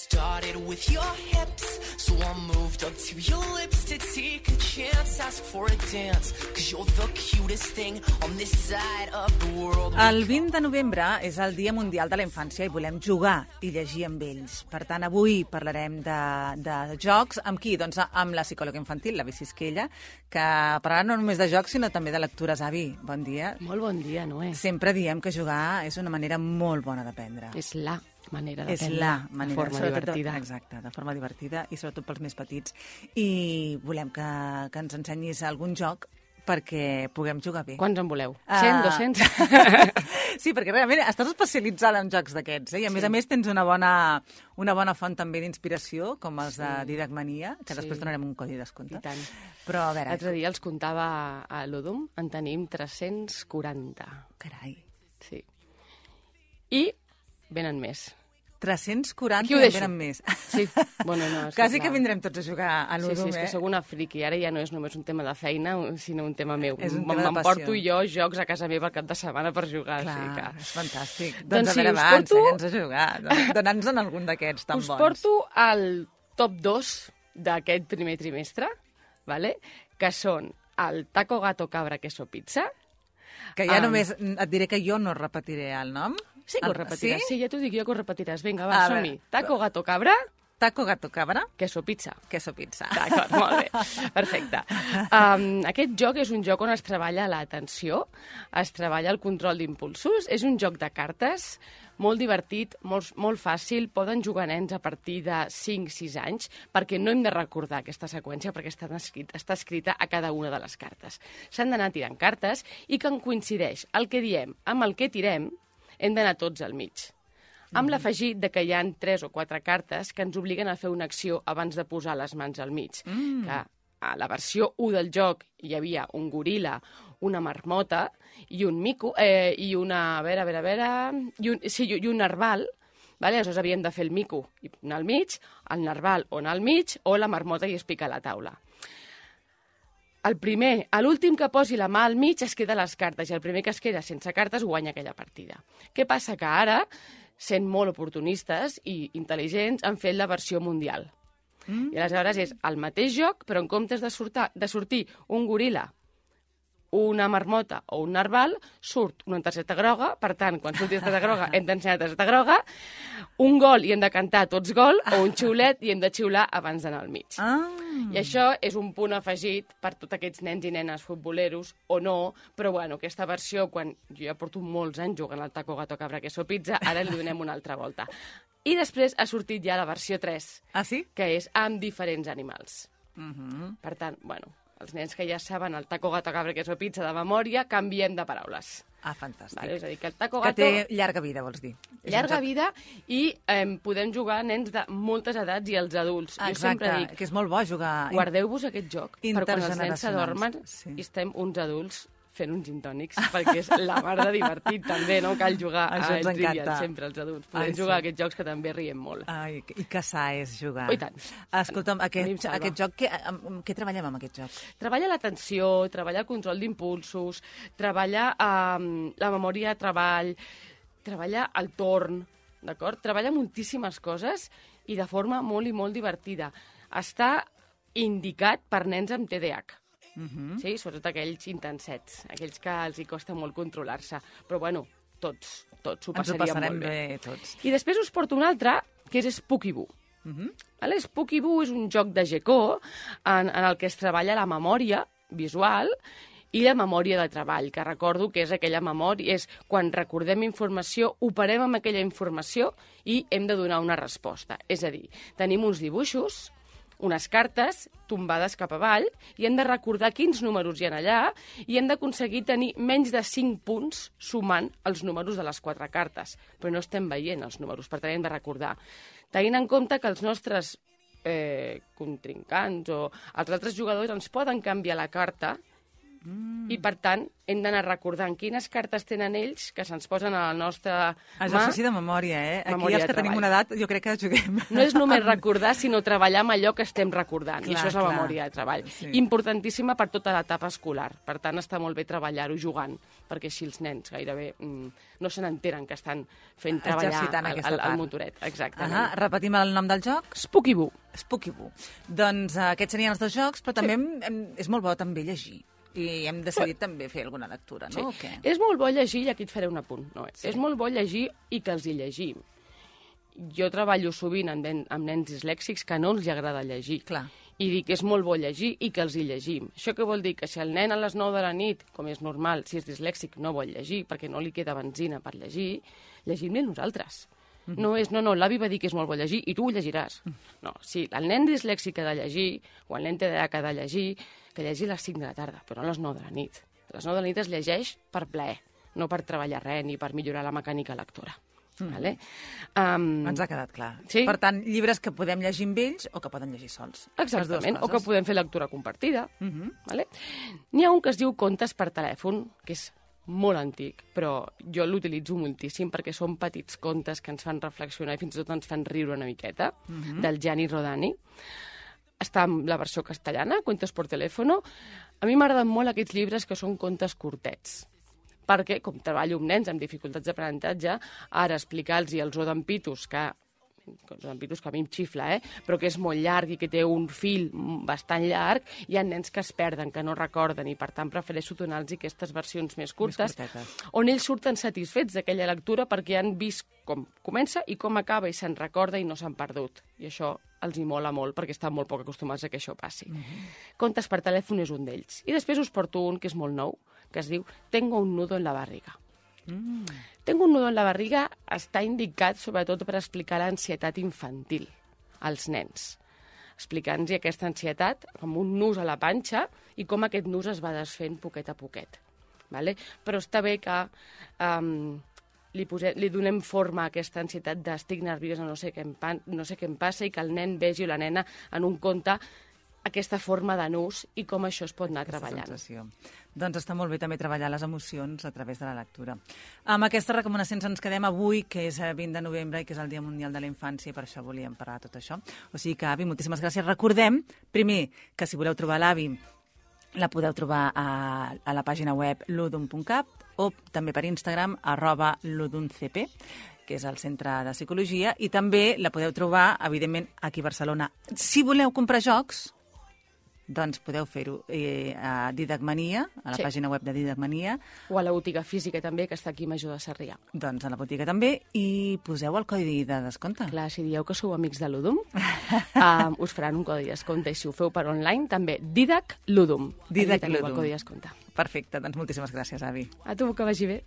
started with your hips, so I moved up to your lips to take a chance, ask for a dance, cause you're the cutest thing on this side of the world. El 20 de novembre és el Dia Mundial de la Infància i volem jugar i llegir amb ells. Per tant, avui parlarem de jocs. Amb qui? Doncs amb la psicòloga infantil, la Vici Esquella, que parlarà no només de jocs, sinó també de lectures. Avi, bon dia. Molt bon dia, Noé. Sempre diem que jugar és una manera molt bona d'aprendre. És la manera d'aprendre. És la manera. De forma divertida. Exacte, de forma divertida i sobretot pels més petits. I volem que ens ensenyis algun joc perquè puguem jugar bé. Quants en voleu? 100, 200? Sí, perquè realment estàs especialitzada en jocs d'aquests, i a més tens una bona font també d'inspiració, com els de Didac Mania, que després donarem un codi de descompte. I tant. Però a veure... L'altre dia els comptava a l'Udum, en tenim 340. Carai. Sí. I venen més. 340 Aquí ho i deixo. venen més. Sí, bueno, no... Quasi que vindrem tots a jugar a Sí, l'Udum, és que sóc una friqui. Ara ja no és només un tema de feina, sinó un tema meu. És un tema de passió. M'emporto jo jocs a casa meva al cap de setmana per jugar. Clar, o sigui que... és fantàstic. Doncs a sí, veure, us ensenya'ns a jugar. Dona'ns-en algun d'aquests tan us bons. porto al top 2 d'aquest primer trimestre, vale? Que són el taco, gato, cabra, queso, pizza. Que ja només et diré que jo no repetiré el nom. Sí que ho repetiràs. Sí, ja t'ho dic jo que ho repetiràs. Vinga, va, A som-hi. veure. Taco, gato, cabra, Taco, gato, cabra, queso, pizza. queso, pizza. D'acord, molt bé. Perfecte. Aquest joc és un joc on es treballa l'atenció, es treballa el control d'impulsos, és un joc de cartes, molt divertit, molt fàcil, poden jugar nens a partir de 5-6 anys, perquè no hem de recordar aquesta seqüència, perquè està escrita a cada una de les cartes. S'han d'anar tirant cartes i que en coincideix el que diem amb el que tirem, hem d'anar tots al mig. Amb l'afegit de que hi ha 3 o 4 cartes que ens obliguen a fer una acció abans de posar les mans al mig. Que a la versió 1 del joc hi havia un goril·la, una marmota i un mico, i una... i un narval. Vale? Aleshores havíem de fer el mico i anar al mig, el narval o anar al mig, o la marmota i es pica a la taula. L'últim que posi la mà al mig es queda les cartes, i el primer que es queda sense cartes guanya aquella partida. Què passa? Que ara, sent molt oportunistes i intel·ligents, han fet la versió mundial. I aleshores és el mateix joc, però en comptes de sortir un goril·la, una marmota o un narval, surt una targeta groga. Per tant, quan surti la targeta groga, hem d'ensenyar la targeta groga, un gol i hem de cantar tots gol, o un xiulet i hem de xiular abans d'anar al mig. I això és un punt afegit per tots aquests nens i nenes futboleros, o no, però bueno, aquesta versió, quan jo ja porto molts anys jugant al taco, gato, cabra, queso, pizza, ara li donem una altra volta. I després ha sortit ja la versió 3, que és amb diferents animals. Per tant, bueno, els nens que ja saben el taco, gato, cabra, queso, pizza de memòria, canviem de paraules. Ah, fantàstic. Vale? És a dir, que el taco, Que gato... té llarga vida, vols dir. Llarga vida, i podem jugar nens de moltes edats i els adults. Exacte, jo sempre dic, que és molt bo jugar... guardeu-vos aquest joc per quan els nens s'adormen i estem uns adults fent uns gintònics, perquè és la mar de divertit també, no? Cal jugar a Trivial sempre, els adults. Podem jugar a aquests jocs que també riem molt. Ai, i que sa és jugar. Oh, i tant. Escolta'm, aquest joc, què treballem amb aquest joc? Treballa l'atenció, treballa el control d'impulsos, treballa la memòria de treball, treballa el torn, d'acord? Treballa moltíssimes coses i de forma molt i molt divertida. Està indicat per nens amb TDAH. Sí, sobretot aquells intensets, aquells que els hi costa molt controlar-se. Però, bueno, tots s'ho passaríem molt bé. Tots. I després us porto un altre, que és Spooky-Boo. Spooky-Boo és un joc de GECO en el que es treballa la memòria visual i la memòria de treball, que recordo que és aquella memòria, és quan recordem informació, operem amb aquella informació i hem de donar una resposta. És a dir, tenim uns dibuixos, unes cartes tombades cap avall, i hem de recordar quins números hi ha allà, i hem d'aconseguir tenir menys de 5 punts sumant els números de les 4 cartes. Però no estem veient els números, per tant hem de recordar. Tenint en compte que els nostres contrincants o els altres jugadors ens poden canviar la carta I, per tant, hem d'anar recordant quines cartes tenen ells que se'ns posen a la nostra Exercici de memòria, eh? Aquí Memòria els de que tenim treball. una edat, jo crec que juguem. No és només recordar, sinó treballar amb allò que estem recordant. I Clar, això és la clar. memòria de treball. Sí. Importantíssima per tota l'etapa escolar. Per tant, està molt bé treballar-ho jugant, perquè així els nens gairebé no se n'enteren que estan fent treballar Exercitant aquesta part. el motoret. Exactament. Repetim el nom del joc? Spooky Boo. Spooky Boo. Doncs aquests serien els dos jocs, però també és molt bo també llegir. I hem decidit també fer alguna lectura, no? Sí. O què? És molt bo llegir, i aquí et faré un apunt. No, és molt bo llegir i que els hi llegim. Jo treballo sovint amb nens dislèxics que no els hi agrada llegir. Clar. I dic que és molt bo llegir i que els hi llegim. Això què vol dir? Que si el nen a les 9 de la nit, com és normal, si és dislèxic, no vol llegir perquè no li queda benzina per llegir, llegim-li nosaltres. No és, no, l'avi va dir que és molt bo llegir i tu ho llegiràs. No, si el nen dislèxic ha de llegir, o el nen TDAH que ha de llegir, que llegi a les 5 de la tarda, però no a les 9 de la nit. A les 9 de la nit es llegeix per plaer, no per treballar res ni per millorar la mecànica lectora. Vale? Ens ha quedat clar. Sí. Per tant, llibres que podem llegir amb ells o que poden llegir sols. Exactament, Les o dues que coses. podem fer lectura compartida. Vale? N'hi ha un que es diu Contes per telèfon, que és molt antic, però jo l'utilitzo moltíssim perquè són petits contes que ens fan reflexionar i fins i tot ens fan riure una miqueta, del Gianni Rodani. Està en la versió castellana, Cuentos por teléfono. A mi m'agraden molt aquests llibres que són contes curtets, perquè, com treballo amb nens amb dificultats d'aprenentatge, ara explicar-los els odampitos, que a mi em xifla, però que és molt llarg i que té un fil bastant llarg, hi ha nens que es perden, que no recorden, i per tant prefereixo donar-los aquestes versions més curtes, on ells surten satisfets d'aquella lectura perquè han vist com comença i com acaba i se'n recorda i no s'han perdut. I això els hi mola molt perquè estan molt poc acostumats a que això passi. Contes per telèfon és un d'ells. I després us porto un que és molt nou, que es diu Tengo un nudo en la barriga. Tengo un nudo en la barriga està indicat sobretot per explicar l'ansietat infantil als nens, explicant-los aquesta ansietat com un nus a la panxa i com aquest nus es va desfent poquet a poquet. Vale? Però està bé que li donem forma a aquesta ansietat d'estic nerviosa, no sé què em passa, i que el nen vegi o la nena en un conte aquesta forma de nus i com això es pot anar treballant. Doncs està molt bé també treballar les emocions a través de la lectura. Amb aquestes recomanacions ens quedem avui, que és 20 de novembre i que és el Dia Mundial de la Infància, i per això volíem parlar de tot això. O sigui que, Avi, moltíssimes gràcies. Recordem, primer, que si voleu trobar l'Avi, la podeu trobar a la pàgina web ludum.cat o també per Instagram, @ludumcp, que és el centre de psicologia, i també la podeu trobar, evidentment, aquí a Barcelona. Si voleu comprar jocs, doncs podeu fer-ho a Didacmania, a la pàgina web de Didacmania. O a la botiga física també, que està aquí a Major de Sarrià. Doncs a la botiga també, i poseu el codi de descompte. Clar, si dieu que sou amics de Ludum, us faran un codi de descompte, i si ho feu per online també, Didac Ludum. Didac Allí teniu Ludum. el codi de descompte. Perfecte, doncs moltíssimes gràcies, Avi. A tu, que vagi bé.